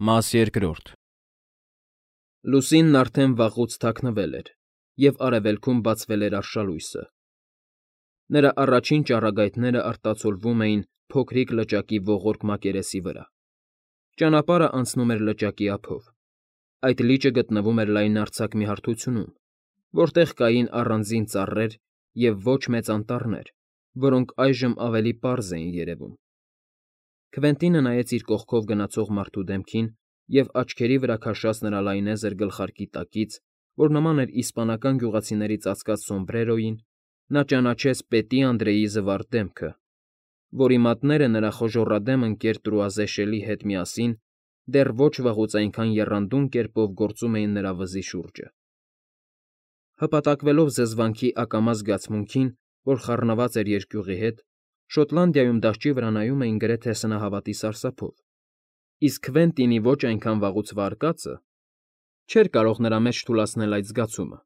Մաս երկրորդ Լուսինն արդեն վաղուց թաքնվել էր, և արևելքում բացվել էր արշալույսը. նրա առաջին ճառագայթները արտացոլվում էին փոքրիկ լճակի ողորկ մակերեսի վրա. ճանապարհն անցնում էր լճակի ափով. այդ լիճը գտնվում էր լայնարձակ մի հարթությունում, որտեղ կային առանձին ծառեր և ոչ մեծ անտառներ, որոնք այժմ ավելի պարզ էին երևում. Քվենտինը նայեց իր կողքով գնացող մարդու դեմքին և աչքերի վրա քաշած նրա լայնեզր գլխարկի տակից, որ նման էր իսպանական գյուղացիների ծածկած սոմբրերոյին, նա ճանաչեց Պետի Անդրեի զվարթ դեմքը, որի մատները նրա խոժոռադեմ ընկեր Տրուազեշելի հետ միասին դեռ ոչ վաղուց այնքան եռանդուն կերպով գործում էին նրա վզի շուրջը. Հպատակվելով զզվանքի ակամա զգացմունքին, որ խառնված էր երկյուղի հետ, Շոտլանդիայում դահճի վրա նայում էին գրեթե սնահավատի սարսափով, իսկ Քվենտինի ոչ այնքան վաղուց վարկածը չէր կարող նրա մեջ թուլացնել այդ զգացումը.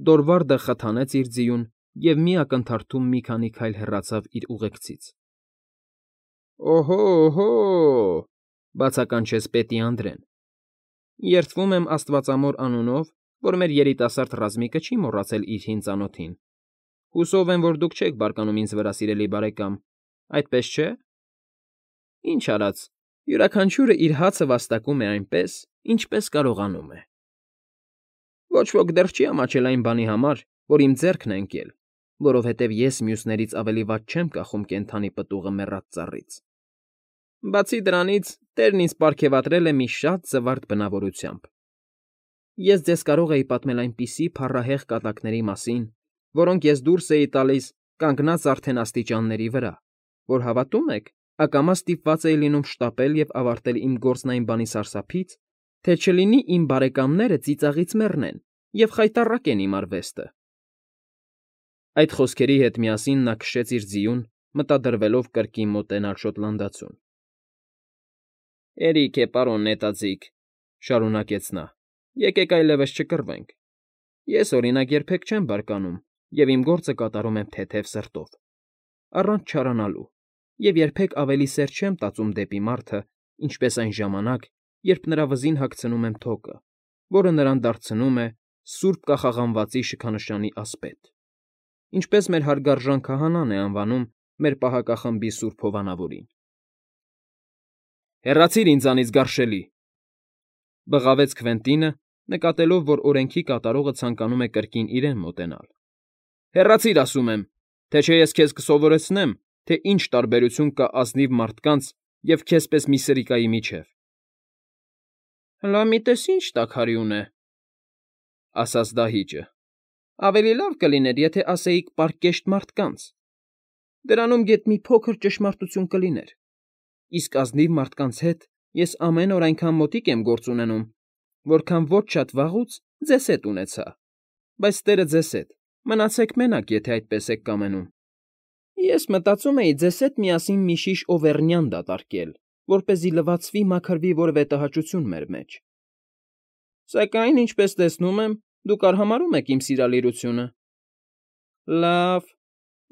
Դորվարդը խթանեց իր ձիուն և մի ակնթարթում մի քանի քայլ հեռացավ իր ուղեկցից։ ֊ Օհո՜, բացականչեց Պետի Անդրեն։ Երդվում եմ աստվածամոր անունով, որ մեր երիտասարդ ռազմիկը չի մոռացել իր հին ծանոթին. հուսով եմ, որ դուք չեք բարկանում ինձ վրա, սիրելի բարեկամ, այդպես չէ՞։ Ինչ արած, յուրաքանչյուրը իր հացը վաստակում է այնպես, ինչպես կարողանում է։ Ոչ ոք դեռ չի ամաչել այն բանի համար, որ իմ ձեռքն է ընկել, որովհետև ես մյուսներից ավելի վատ չեմ կախում կենդանի պտուղը մեռած ծառից։ Բացի դրանից, Տերն ինձ պարգևատրել է մի շատ զվարթ բնավորությամբ։ Ես ձեզ կարող էի պատմել այնպիսի փառահեղ կատակների մասին, որոնք ես դուրս էի տալիս կանգնած արդեն աստիճանների վրա, որ, հավատո՞ւմ եք, ակամա ստիպված էի լինում շտապել և ավարտել իմ գործն այն բանի սարսափից, թե չլինի իմ բարեկամները ծիծաղից մեռնեն և խայտառակեն իմ արվեստը։ Այդ խոսքերի հետ միասին նա քշեց իր ձիուն, մտադրվելով կրկին մոտենալ շոտլանդացուն։ Հերիք է, պարոն նետաձիգ, շարունակեց նա, եկեք այլևս չկռվենք։ Ես, օրինակ, երբեք չեմ բարկանում և իմ գործը կատարում եմ թեթև սրտով, առանց չարանալու, և երբեք ավելի սեր չեմ տածում դեպի մարդը, ինչպես այն ժամանակ, երբ նրա վզին հագցնում եմ թոկը, որը նրան դարձնում է սուրբ կախաղանվածի շքանշանի ասպետ, ինչպես մեր հարգարժան քահանան է անվանում մեր պահակախմբի սուրբ հովանավորին։ Հեռացիր ինձանից, գարշելի,֊ բղավեց Քվենտինը, նկատելով, որ օրենքի կատարողը ցանկանում է կրկին իրեն մոտենալ։ Հեռացիր, ասում եմ, թե չէ ես քեզ կսովորեցնեմ, թե ինչ տարբերություն կա ազնիվ մարդկանց և քեզ պես մի սրիկայի միջև։ Հլա մի տես ինչ տաքարյուն է,֊ ասաց դահիճը,֊ ավելի լավ կլիներ, եթե ասեիք պարկեշտ մարդկանց. դրանում գեթ մի փոքր ճշմարտություն կլիներ, իսկ ազնիվ մարդկանց հետ ես ամեն օր այնքան մոտիկ եմ գործ ունենում, որքան ոչ շատ վաղուց ձեզ հետ ունեցա, բայց տերը ձեզ հետ, մնացեք մենակ, եթե այդպես եք կամենում։ Ես մտածում էի ձեզ հետ միասին մի շիշ օվերնյան դատարկել, որպեսզի լվացվի, մաքրվի որևէ տհաճություն մեր մեջ։ Սակայն, ինչպես տեսնում եմ, դուք արհամարհում եք իմ սիրալիրությունը։ Լավ,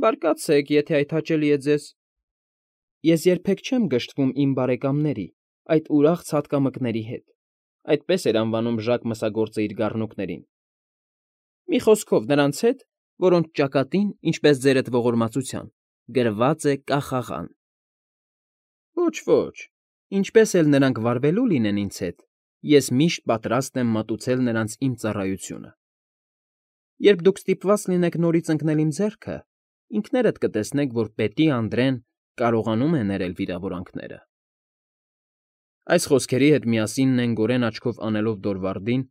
բարկացեք, եթե այդ հաճելի է ձեզ։ Ես երբեք չեմ գժտվում իմ բարեկամների, այդ ուրախ ցատկամկների հետ, այդպես էր անվանում Ժակ մսագործը իր գառնուկներին։ Մի խոսքով, նրանց հետ, որոնց ճակատին, ինչպես ձերդ ողորմածության, գրված է կախաղան։ Ոչ, ինչպես էլ նրանք վարվելու լինեն ինձ հետ, ես միշտ պատրաստ եմ մատուցել նրանց իմ ծառայությունը։ Երբ դուք ստիպված լինեք նորից ընկնել իմ ձեռքը, ինքներդ կտեսնեք, որ Պետի Անդրեն կարողանում է ներել վիրավորանքները։ Այս խոսքերի հետ միասին նենգորեն աչքով անելով Դորվարդին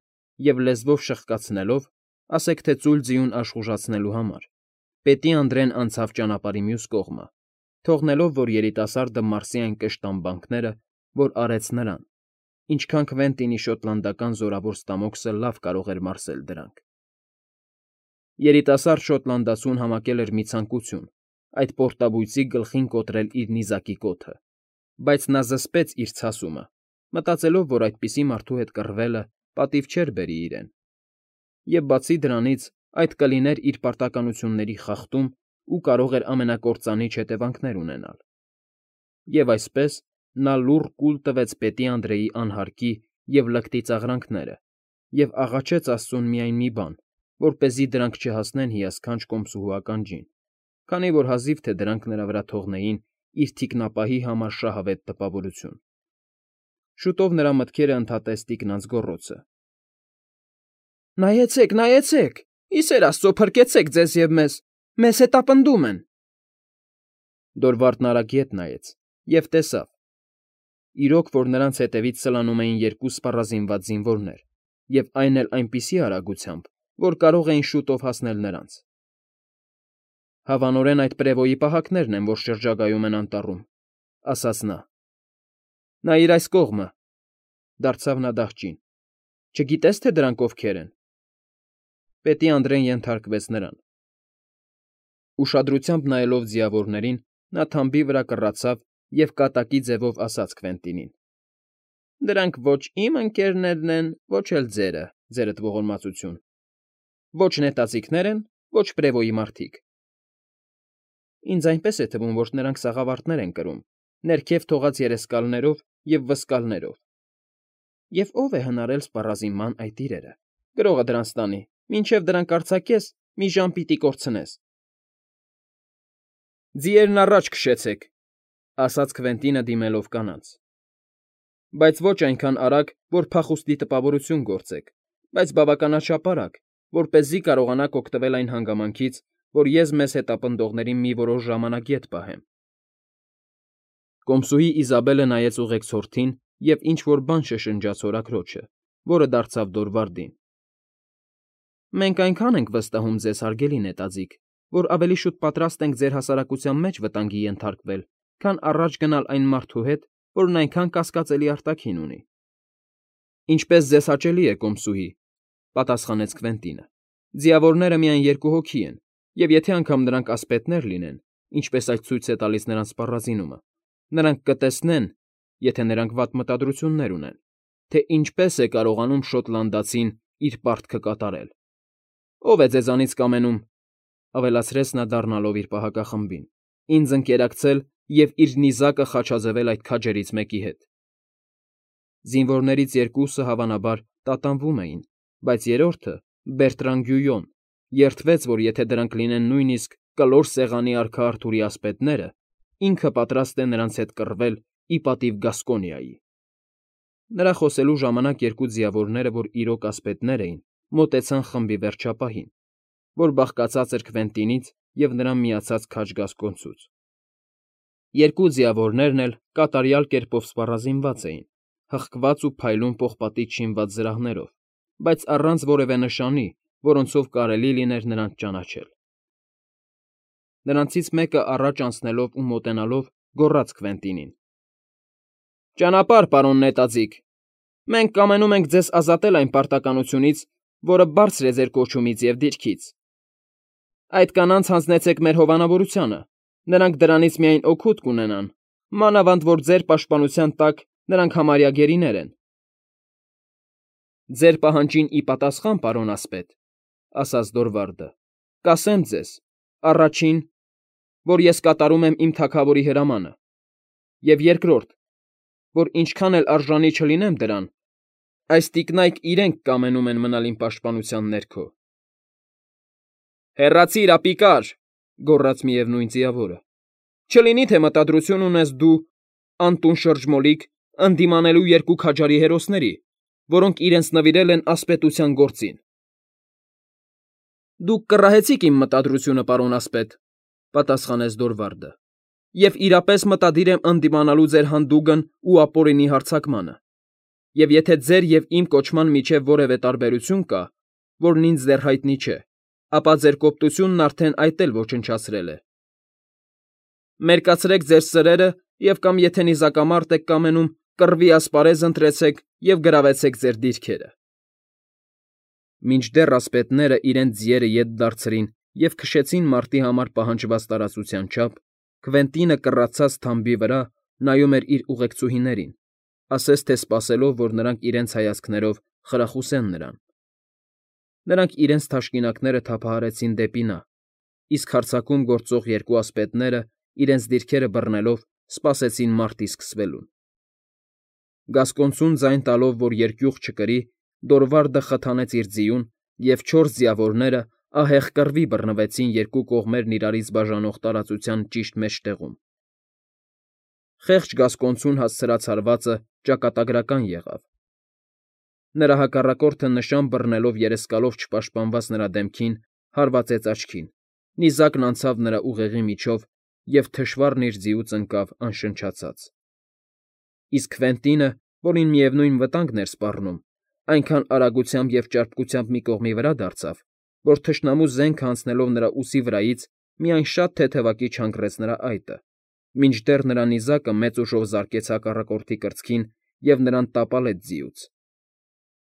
և լեզվով շխկացնելով, ասեք թե ծույլ ձիուն աշխուժացնելու համար, Պետի Անդրեն անցավ ճանապարհի մյուս կողմը, թողնելով, որ երիտասարդը մարսի այն կշտամբանքները, որ արեց նրան, ինչքան Քվենտինի շոտլանդական զորավոր ստամոքսը լավ կարող էր մարսել դրանք։ Երիտասարդ շոտլանդացուն համակել էր մի ցանկություն այդ պորտաբույծի գլխին կոտրել իր նիզակի կոթը, բայց նա զսպեց իր ցասումը, մտածելով, որ այդպիսի մարդու հետ կռվելը պատիվ չէր բերի իրեն, և բացի դրանից այդ կլիներ իր պարտականությունների խախտում ու կարող էր ամենակործանիչ հետևանքներ ունենալ։ Եվ այսպես, նա լուռ կուլ տվեց պետի Անդրեի անհարկի և լկտի ծաղրանքները և աղաչեց աստծուն միայն մի բան, որպեսզի դրանք չհասնեն հիասքանչ կոմսուհու ականջին, քանի որ հազիվ թե դրանք նրա վրա թողնեին իր թիկնապահի համար շահավետ տպավորություն։ Շուտով նրա մտքերը ընդհատեց տիկնանց գոռոցը. «Նայեցեք, նայեցեք, ի սեր աստծո, փրկեցեք ձեզ և մեզ հետապնդում են»։ Դորվարդն արագ ետ նայեց և տեսավ, իրոք, որ նրանց հետևից սլանում էին երկու սպառազինված զինվորներ, և այն էլ այնպիսի արագությամբ, որ կարող էին շուտով հասնել նրանց։ «Հավանորեն այդ պրևոյի պահակներն են, որ շրջագայում են անտառում», ասաց նա։ «Նայիր այս կողմը», դարձավ նա դահճին, «չգիտես, թե դրանք ովքեր են»։ Պետի Անդրեն ենթարկվեց նրան։ Ուշադրությամբ նայելով ձիավորներին, նա թամբի վրա կռացավ և կատակի ձևով ասաց Քվենտինին. «Դրանք ոչ իմ ընկերներն են, ոչ էլ ձերը, ձերդ ողորմածություն, ոչ նետաձիգներ են, ոչ պրևոյի մարդիկ»։ «Ինձ այնպես է թվում, որ նրանք սաղավարտներ են կրում, ներքև թողած երեսկալներով և վսկալներով։ Եվ ո՞վ է հնարել սպառազինման այդ իրերը։ Գրողը դրանց տանի, մինչև դրանք արձակես, մի ժամ պիտի կորցնես»։ «Ձիերն առաջ քշեցեք», ասաց Քվենտինը դիմելով կանանց։ «Բայց ոչ այնքան արագ, որ փախուստի տպավորություն գործեք, բայց բավականաչափ արագ, որպեսզի կարողանաք օգտվել այն հանգամանքից, որ ես մեզ հետապնդողներին մի որոշ ժամանակ ետ պահեմ»։ Կոմսուհի Իզաբելը նայեց ուղեկցորդին և ինչ֊որ բան շշնջաց հորաքրոջը, որը դարձավ Դորվարդին։ «Մենք այնքան ենք վստահում ձեզ, հարգելի նետաձիգ, որ ավելի շուտ պատրաստ ենք ձեր հասարակության մեջ վտանգի ենթարկվել, քան առաջ գնալ այն մարդու հետ, որն այնքան կասկածելի արտաքին ունի»։ «Ինչպես ձեզ հաճելի է, կոմսուհի», պատասխանեց Քվենտինը։ «Ձիավորները միայն երկու հոգի են, և եթե անգամ նրանք ասպետներ լինեն, ինչպես այդ ցույց է տալիս նրանց սպառազինումը, նրանք կտեսնեն, եթե նրանք վատ մտադրություններ ունեն, թե ինչպես է կարողանում շոտլանդացին իր պարտքը կատարել։ Ո՞վ է ձեզանից կամենում», ավելացրեց նա դառնալով իր պահակախմբին, «ինձ ընկերակցել և իր նիզակը խաչաձևել այդ քաջերից մեկի հետ»։ Զինվորներից երկուսը, հավանաբար, տատանվում էին, բայց երրորդը՝ Բերտրան Գյույոն, երդվեց, որ եթե դրանք լինեն նույնիսկ կլոր սեղանի արքա Արթուրի ասպետները, ինքը պատրաստ է նրանց հետ կռվել ի պատիվ Գասկոնիայի։ Նրա խոսելու ժամանակ երկու ձիավորները, որ իրոք ասպետներ էին, մոտեցան խմբի վերջապահին, որ բաղկացած էր Քվենտինից և նրան միացած քաջ գասկոնցուց։ Երկու ձիավորներն էլ կատարյալ կերպով սպառազինված էին, հղկված ու փայլուն պողպատից շինված զրահներով, բայց առանց որևէ նշանի, որոնցով կարելի լիներ նրանց ճանաչել։ Նրանցից մեկը առաջ անցնելով ու մոտենալով գոռաց Քվենտինին. «Ճանապարհ, պարոն նետաձիգ, մենք կամենում ենք ձեզ ազատել այն պարտականությունից, որը բարձր է ձեր կոչումից և դիրքից։ Այդ կանանց հանձնեցեք մեր հովանավորությանը, նրանք դրանից միայն օգուտ կունենան, մանավանդ որ ձեր պաշտպանության տակ նրանք համարյա գերիներ են»։ «Ձեր պահանջին ի պատասխան, պարոն ասպետ», ասաց Դորվարդը, «կասեմ ձեզ, առաջին, որ ես կատարում եմ իմ թագավորի հրամանը, և երկրորդ, որ ինչքան էլ արժանի չլինեմ դրան, այս տիկնայք իրենք կամենում են մնալ իմ պաշտպանության ներքո»։ «Հեռացիր, ապիկար», գոռաց միևնույն ձիավորը, «չլինի թե մտադրություն ունես դու, անտուն շրջմոլիկ, ընդդիմանելու երկու քաջարի հերոսների, որոնք իրենց նվիրել են ասպետության գործին»։ «Դուք կռահեցիք իմ մտադրությունը, պարոն ասպետ», պատասխանեց Դորվարդը, «և իրապես մտադիր եմ ընդդիմանալու ձեր հանդուգն ու ապօրինի հարձակմանը, և եթե ձեր և իմ կոչման միջև որևէ տարբերություն կա, որն ինձ դեռ հայտնի չէ, ապա ձեր կոպտությունն արդեն այդ էլ ոչնչացրել է։ Մերկացրեք ձեր սրերը և կամ եթե նիզակամարտ եք կամենում, կռվի ասպարեզ ընտրեցեք և գրավեցեք ձեր դիրքերը»։ Մինչդեռ ասպետները իրենց ձիերը ետ դարձրին և քշեցին մարտի համար պահանջված տարածության չափ, Քվենտինը կռացած թամբի վրա նայում էր իր ուղեկցուհիներին, ասես թե սպասելով, որ նրանք իրենց հայացքներով խրախուսեն նրան։ Նրանք իրենց թաշկինակները թափահարեցին դեպի նա, իսկ հարձակում գործող երկու ասպետները, իրենց դիրքերը բռնելով, սպասեցին մարտի սկսվելուն։ Գասկոնցուն ձայն տալով, որ երկյուղ չկրի, Դորվարդը խթանեց իր ձիուն, և 4 ձիավորները ահեղ կռվի բռնվեցին երկու կողմերն իրարից բաժանող տարածության ճիշտ մեջտեղում։ Խեղճ գասկոնցուն հասցրած հարվածը ճակատագրական եղավ։ Նրա հակառակորդը նշան բռնելով երեսկալով չպաշտպանված նրա դեմքին, հարվածեց աչքին, նիզակն անցավ նրա ուղեղի միջով, և թշվառն իր ձիուց ընկավ անշնչացած։ Իսկ Քվենտինը, որին միևնույն վտանգն էր սպառնում, այնքան արագությամբ և ճարպկությամբ մի կողմի վրա դարձավ, որ թշնամու զենքը անցնելով նրա ուսի վրայից միայն շատ թեթևակի չհանգռեց նրա այտը, մինչդեռ նրա նիզակը մեծ ուժով զարկեց հակառակորդի կրծքին և նրան տապալեց ձիուց։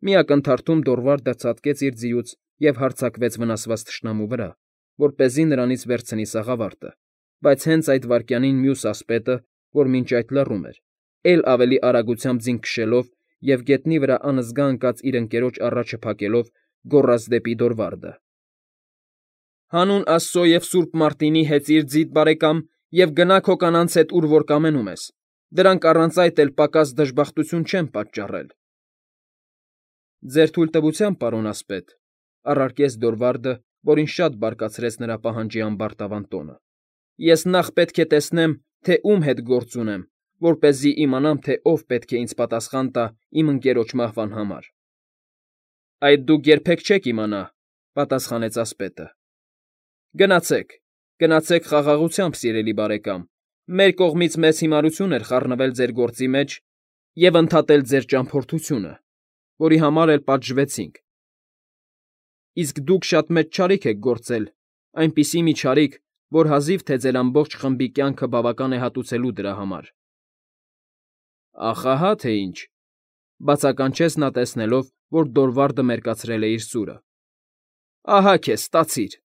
Մի ակնթարթում Դորվարդը ցատկեց իր ձիուց և հարձակվեց վնասված թշնամու վրա, որպեսզի նրանից վերցնի սաղավարտը, բայց հենց այդ վայրկյանին մյուս ասպետը, որ մինչ այդ լռում էր, էլ ավելի արագությամբ ձին քշելով և գետնի վրա անզգա ընկած իր ընկերոջ առաջը փակելով, գոռաց դեպի Դորվարդը. «Հանուն աստծո և սուրբ Մարտինի հեծիր ձիդ, բարեկամ, և գնա քո կանանց հետ, ուր որ կամենում ես. դրանք առանց այդ էլ պակաս դժբախտություն չեն պատճառել»։ Ձեր թույլտվությամբ, պարոն ասպետ, առարկեց Դորվարդը, որին շատ բարկացրեց նրա պահանջի ամբարտավան տոնը, ես նախ պետք է տեսնեմ, թե ում հետ գործ ունեմ, որպեսզի իմանամ, թե ով պետք է ինձ պատասխան տա իմ ընկերոջ մահվան համար։ Այդ դուք երբեք չեք իմանա, պատասխանեց ասպետը։ Գնացեք, գնացեք խաղաղությամբ, սիրելի բարեկամ, մեր կողմից մեծ հիմարություն էր խառնվել ձեր գործի մեջ և ընդհատել ձեր ճամփորդությունը, որի համար էլ պատժվեցինք։ Իսկ դուք շատ մեծ չարիք եք գործել, այնպիսի մի չարիք, որ հազիվ թե ձեր ամբողջ խմբի կյանքը բավական է հատուցելու դրա համար։ Ախ, ահա թե ինչ,֊ բացականչեց նա, տեսնելով, որ Դորվարդը մերկացրել է իր սուրը։ Ահա քեզ, ստացիր։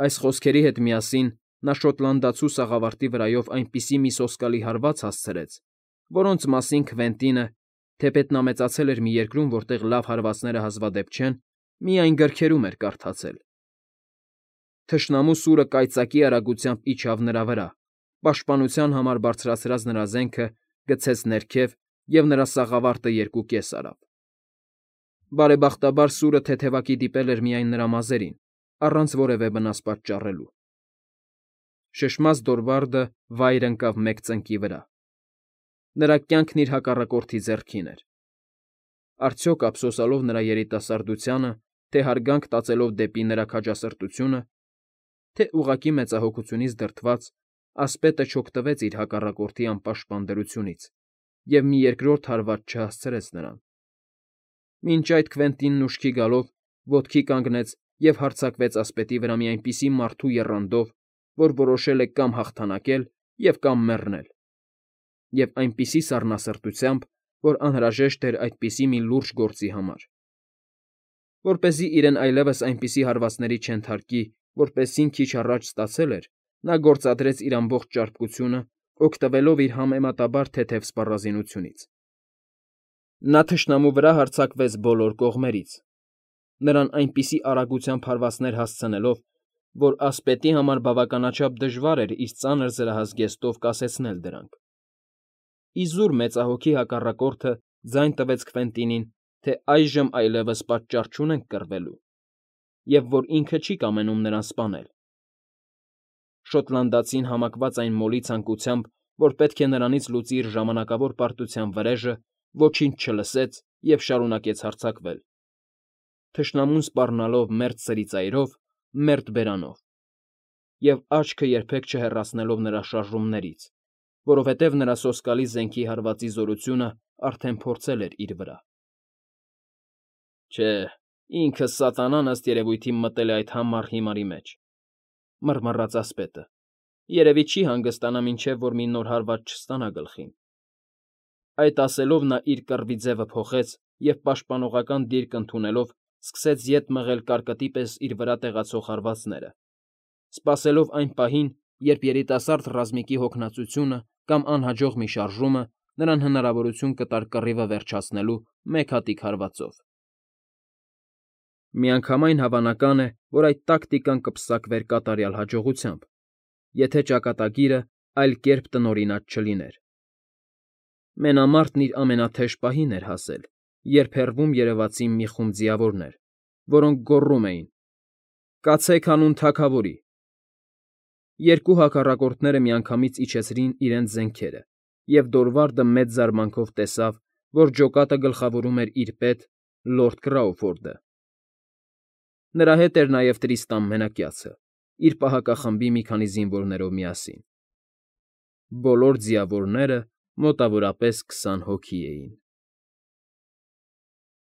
Այս խոսքերի հետ միասին նա շոտլանդացու սաղավարտի վրայով այնպիսի մի սոսկալի հարված հասցրեց, որոնց մասին Քվենտինը, թեպետ նա մեծացել էր մի երկրում, որտեղ լավ հարվածները հազվադեպ չեն, միայն գրքերում էր կարդացել։ Թշնամու սուրը կայծակի արագությամբ իջավ նրա վրա, պաշտպանության համար բարձրացրած նրա զենքը գցեց ներքև և նրա սաղավարտը երկուկես արավ։ Բարեբախտաբար սուրը թեթևակի դիպել էր միայն նրա մազերին, առանց որևէ վնաս պատճառելու։ Շշմած Դորվարդը վայր ընկավ մեկ ծնկի վրա։ Նրա կյանքն իր հակառակորդի ձեռքին էր։ Արդյոք ափսոսալով նրա երիտասարդությանը, թե հարգանք տածելով դեպի նրա քաջասրտությունը, թե ուղղակի մեծահոգությունից դրդված, ասպետը չօգտվեց իր հակառակորդի անպաշտպան դրությունից և մի երկրորդ հարված չհասցրեց նրան։ Մինչ այդ Քվենտինն ուշքի գալով ոտքի կանգնեց և հարձակվեց ասպետի վրա մի այնպիսի մարդու եռանդով, որ որոշել է կամ հաղթանակել և կամ մեռնել, և այնպիսի սառնասրտությամբ, որ անհրաժեշտ էր այդպիսի մի լուրջ գործի համար։ Որպեսզի իրեն այլևս այնպիսի հարվածների չենթարկի, որպեսզին քիչ առաջ ստացել էր, նա գործադրեց իր ամբողջ ճարպկությունը, օգտվելով իր համեմատաբար թեթև սպառազինությունից։ Նա թշնամու վրա հարձակվեց բոլոր կողմերից, նրան այնպիսի արագությամբ հարվածներ հասցնելով, որ ասպետի համար բավականաչափ դժվար էր իր ծանր զրահազգեստով կասեցնել դրանք։ Իզուր մեծահոգի հակառակորդը ձայն տվեց Քվենտինին, թե այժմ այլևս պատճառ չունենք կռվելու, և որ ինքը չի կամենում նրան սպանել։ Շոտլանդացին համակված այն մոլի ցանկությամբ, որ պետք է նրանից լուծի իր ժամանակավոր պարտության վրեժը, ոչինչ չլսեց և շարունակեց հարձակվել։ Թշնամուն սպառնալով մերթ սրիծայրով, մերթ բերանով, և աչքը երբեք չհեռացնելով նրա շարժումներից, որովհետև նրա սոսկալի զենքի հարվածի զորությունը արդեն փորձել էր իր վրա։ Չէ, ինքը սատանան ըստ երևույթին մտել է այդ համառ հիմարի մեջ,֊ մռմռաց ասպետը, երևի չի հանգստանա, մինչև որ մի նոր հարված չստանա գլխին։ Այդ ասելով նա իր կռվի ձևը փոխեց և պաշտպանողական դիրք ընդունելով սկսեց ետ մղել կարկտի պես իր վրա տեղացող հարվածները, սպասելով այն պահին, երբ երիտասարդ ռազմիկի հոգնածությունը կամ անհաջող մի շարժումը նրան հնարավորություն կտար կռիվը վերջացնելու մեկ հատիկ հարվածով։ Միանգամայն հավանական է, որ այդ տակտիկան կպսակվեր կատարյալ հաջողությամբ, եթե ճակատագիրը այլ կերպ տնօրինած չլիներ։ Մենամարտն իր ամենաթեժ պահին էր հասել, երբ հեռվում երևացին մի խումբ ձիավորներ, որոնք գոռում էին. «Կացեք հանուն թագավորի»։ Երկու հակառակորդները միանգամից իջեցրին իրենց զենքերը, և Դորվարդը մեծ զարմանքով տեսավ, որ ջոկատը գլխավորում էր իր պետ լորդ Կրաուֆորդը։ Նրա հետ էր նաև Տրիստան Մենակյացը, իր պահակախմբի մի քանի զինվորներով միասին։ Բոլոր ձիավորները մոտավորապես 20 հոգի էին։